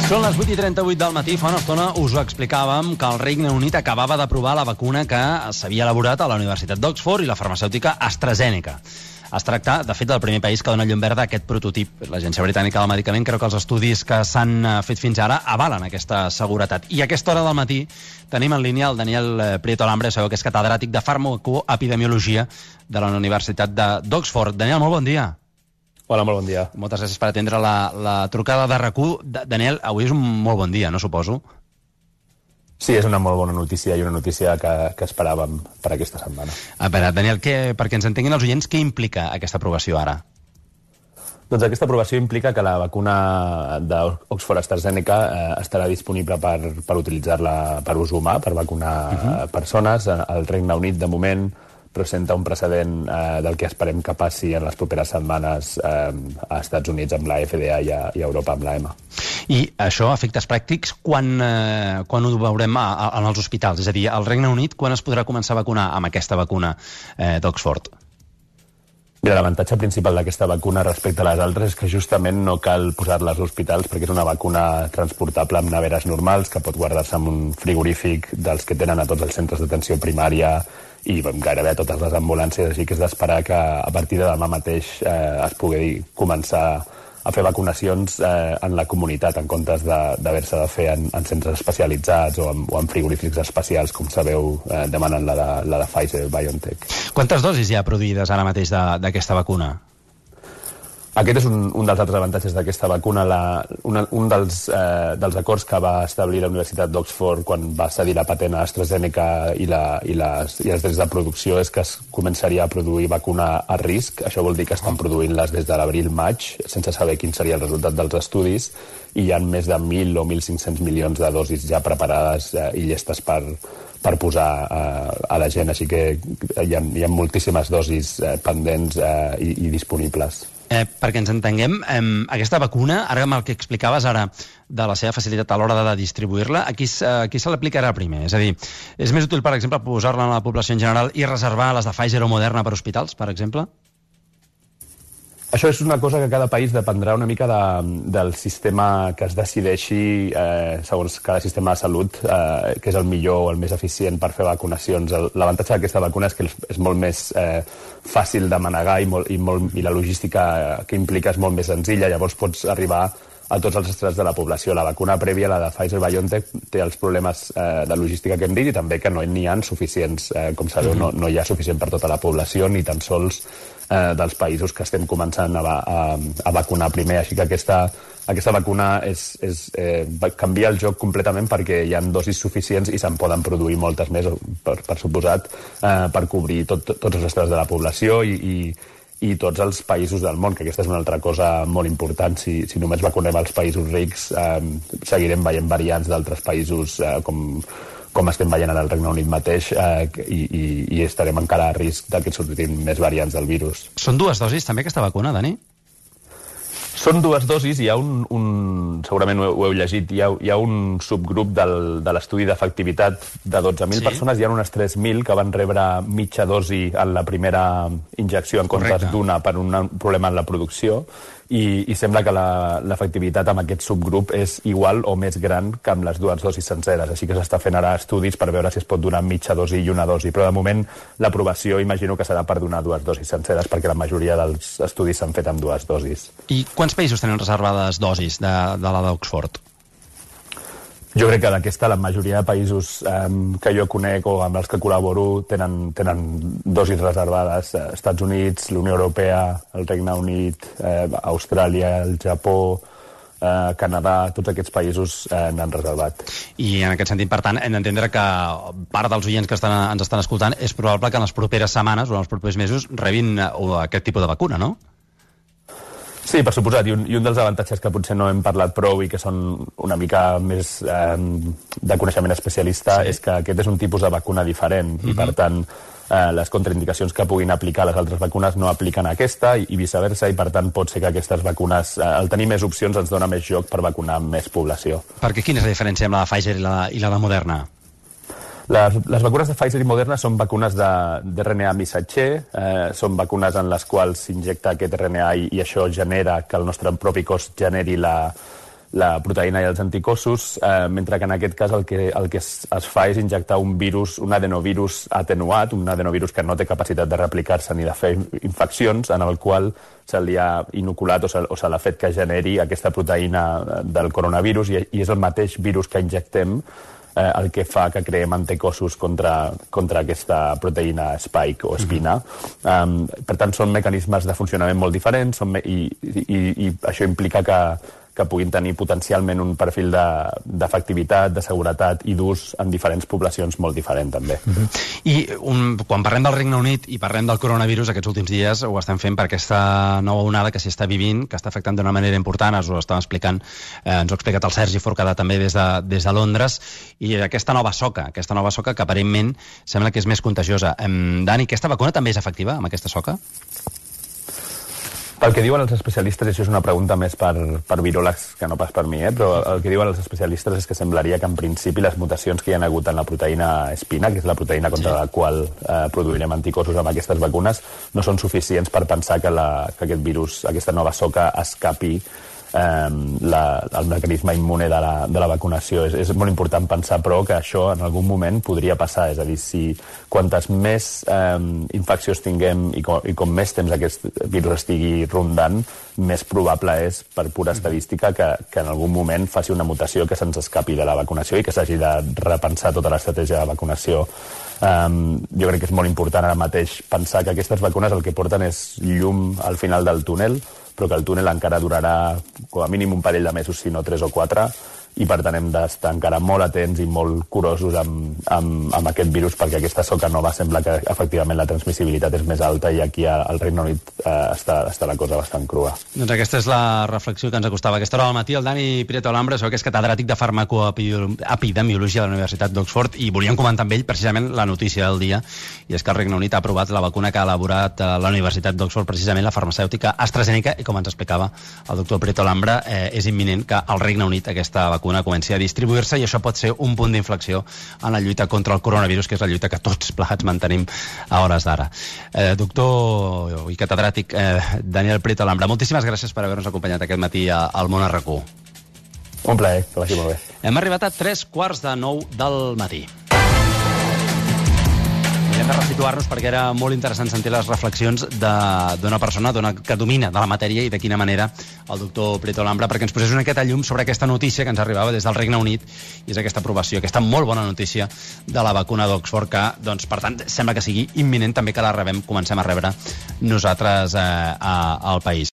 Són les 8:38 del matí. Fa una estona us ho explicàvem que el Regne Unit acabava d'aprovar la vacuna que s'havia elaborat a la Universitat d'Oxford i la farmacèutica AstraZeneca. Es tracta, de fet, del primer país que dona llum verda a aquest prototip. L'Agència Britànica del Medicament creu que els estudis que s'han fet fins ara avalen aquesta seguretat. I a aquesta hora del matí tenim en línia el Daniel Prieto Alambre, sabeu que és catedràtic de farmacoepidemiologia de la Universitat d'Oxford. Daniel, molt bon dia. Hola, molt bon dia. Moltes gràcies per atendre la trucada de RAC1. Daniel, avui és un molt bon dia, no suposo? Sí, és una molt bona notícia i una notícia que esperàvem per aquesta setmana. A veure, Daniel, perquè ens entenguin els oients, què implica aquesta aprovació ara? Doncs aquesta aprovació implica que la vacuna d'Oxford AstraZeneca estarà disponible per utilitzar-la per ús humà, per vacunar persones. El Regne Unit, de moment, presenta un precedent del que esperem que passi en les properes setmanes a Estats Units amb la FDA i a Europa amb la EMA. I això, a efectes pràctics, quan ho veurem en els hospitals? És a dir, al Regne Unit, quan es podrà començar a vacunar amb aquesta vacuna d'Oxford? Mira, l'avantatge principal d'aquesta vacuna respecte a les altres és que justament no cal posar-la als hospitals perquè és una vacuna transportable amb neveres normals que pot guardar-se en un frigorífic dels que tenen a tots els centres d'atenció primària i gairebé a totes les ambulàncies, així que és d'esperar que a partir de demà mateix es pugui començar a fer vacunacions en la comunitat, en comptes d'haver-se de fer en centres especialitzats o en frigorífics especials, com sabeu, demanen la de Pfizer-BioNTech. Quantes dosis hi ha produïdes ara mateix d'aquesta vacuna? Aquest és un dels altres avantatges d'aquesta vacuna. Un dels acords que va establir la Universitat d'Oxford quan va cedir la patent a AstraZeneca i els drets de producció és que es començaria a produir vacuna a risc. Això vol dir que estan produint-les des de l'abril-maig, sense saber quin seria el resultat dels estudis, i hi ha més de 1.000 o 1.500 milions de dosis ja preparades i llestes per posar a la gent. Així que hi ha moltíssimes dosis pendents i disponibles. Perquè ens entenguem, aquesta vacuna, ara amb el que explicaves ara de la seva facilitat a l'hora de distribuir-la, a qui se l'aplicarà primer? És a dir, és més útil, per exemple, posar-la a la població en general i reservar les de Pfizer o Moderna per hospitals, per exemple? Això és una cosa que cada país dependrà una mica del sistema que es decideixi segons cada sistema de salut, que és el millor o el més eficient per fer vacunacions. L'avantatge d'aquesta vacuna és que és molt més fàcil de manegar i la logística que implica és molt més senzilla, llavors pots arribar a tots els estrats de la població. La vacuna prèvia, la de Pfizer-BioNTech, té els problemes de logística que hem dit i també que no n'hi ha suficients. Com sabeu, no hi ha suficient per tota la població, ni tan sols dels països que estem començant a vacunar primer. Així que aquesta vacuna canvia el joc completament perquè hi ha dosis suficients i se'n poden produir moltes més, per suposat, per cobrir tots els estrats de la població i tots els països del món, que aquesta és una altra cosa molt important. Si només vacunem els països rics, seguirem veient variants d'altres països com estem veient ara al Regne Unit mateix, i estarem encara a risc que sortin més variants del virus. Són 2 dosis també aquesta vacuna, Dani? Són 2 dosis, hi ha segurament ho heu llegit, hi ha un subgrup de l'estudi d'efectivitat de 12.000 persones, hi ha unes 3.000 que van rebre mitja dosi en la primera injecció en comptes d'una per un problema en la producció, i sembla que l'efectivitat amb aquest subgrup és igual o més gran que amb les 2 dosis senceres, així que s'està fent ara estudis per veure si es pot donar mitja dosi i una dosi, però de moment l'aprovació imagino que serà per donar 2 dosis senceres perquè la majoria dels estudis s'han fet amb 2 dosis. I quants països tenen reservades dosis de la d'Oxford? Jo crec que d'aquesta la majoria de països que jo conec o amb els que col·laboro tenen dosis reservades. Estats Units, la Unió Europea, el Regne Unit, Austràlia, el Japó, Canadà, tots aquests països n'han reservat. I en aquest sentit, per tant, hem d'entendre que part dels oients que ens estan escoltant és probable que en les properes setmanes o en els propers mesos rebin aquest tipus de vacuna, no? Sí, per suposat, i un dels avantatges que potser no hem parlat prou i que són una mica més de coneixement especialista és que aquest és un tipus de vacuna diferent i, per tant, les contraindicacions que puguin aplicar les altres vacunes no apliquen a aquesta i viceversa, i per tant pot ser que aquestes vacunes, al tenir més opcions, ens dona més joc per vacunar més població. Perquè quina és la diferència amb la de Pfizer i la de Moderna? Les vacunes de Pfizer i Moderna són vacunes d'RNA missatger, són vacunes en les quals s'injecta aquest RNA i això genera que el nostre propi cos generi la proteïna i els anticossos, mentre que en aquest cas el que es fa és injectar un virus, un adenovirus atenuat, un adenovirus que no té capacitat de replicar-se ni de fer infeccions, en el qual se li ha inoculat o se l'ha fet que generi aquesta proteïna del coronavirus i és el mateix virus que injectem el que fa que creem anticossos contra aquesta proteïna spike o espina. Per tant, són mecanismes de funcionament molt diferents i això implica que puguin tenir potencialment un perfil d'efectivitat, de seguretat i d'ús en diferents poblacions molt diferent, també. I quan parlem del Regne Unit i parlem del coronavirus, aquests últims dies ho estem fent per aquesta nova onada que s'hi està vivint, que està afectant d'una manera important, ens ho estàvem explicant, ens ho ha explicat el Sergi Forcadà també des de Londres, i aquesta nova soca que aparentment sembla que és més contagiosa. Dani, aquesta vacuna també és efectiva amb aquesta soca? El que diuen els especialistes, i això és una pregunta més per viròlegs que no pas per mi, però el que diuen els especialistes és que semblaria que en principi les mutacions que hi ha hagut en la proteïna espina, que és la proteïna contra la qual produirem anticossos amb aquestes vacunes, no són suficients per pensar que aquest virus, aquesta nova soca, escapi el mecanisme immune de la vacunació. És molt important pensar, però, que això en algun moment podria passar. És a dir, si quantes més infeccions tinguem i com més temps aquest virus estigui rondant, més probable és, per pura estadística, que en algun moment faci una mutació que se'ns escapi de la vacunació i que s'hagi de repensar tota l'estratègia de vacunació. Jo crec que és molt important ara mateix pensar que aquestes vacunes el que porten és llum al final del túnel, però que el túnel encara durarà com a mínim un parell de mesos, si no 3 o 4, i per tant hem d'estar encara molt atents i molt curosos amb aquest virus, perquè aquesta soca nova sembla que efectivament la transmissibilitat és més alta i aquí al Regne Unit està la cosa bastant crua. Doncs aquesta és la reflexió que ens acostava a aquesta hora al matí. El Dani Prieto Alhambra, que és catedràtic de farmacoepidemiologia de la Universitat d'Oxford, i volíem comentar amb ell precisament la notícia del dia, i és que el Regne Unit ha aprovat la vacuna que ha elaborat la Universitat d'Oxford, precisament la farmacèutica AstraZeneca, i com ens explicava el doctor Prieto Alhambra, és imminent que al Regne Unit aquesta vacuna comenci a distribuir-se, i això pot ser un punt d'inflexió en la lluita contra el coronavirus, que és la lluita que tots plegats mantenim a hores d'ara. Doctor i catedràtic Daniel Prieto Alhambra, moltíssimes gràcies per haver-nos acompanyat aquest matí al Món RQ. Un plaer, que vagi molt bé. Hem arribat a 3:45 del matí. Hem de resituar-nos perquè era molt interessant sentir les reflexions d'una persona que domina de la matèria i de quina manera el doctor Prieto Alhambra, perquè ens posés una miqueta llum sobre aquesta notícia que ens arribava des del Regne Unit, i és aquesta aprovació, aquesta molt bona notícia de la vacuna d'Oxford, que, doncs, per tant, sembla que sigui imminent també que la comencem a rebre nosaltres al país.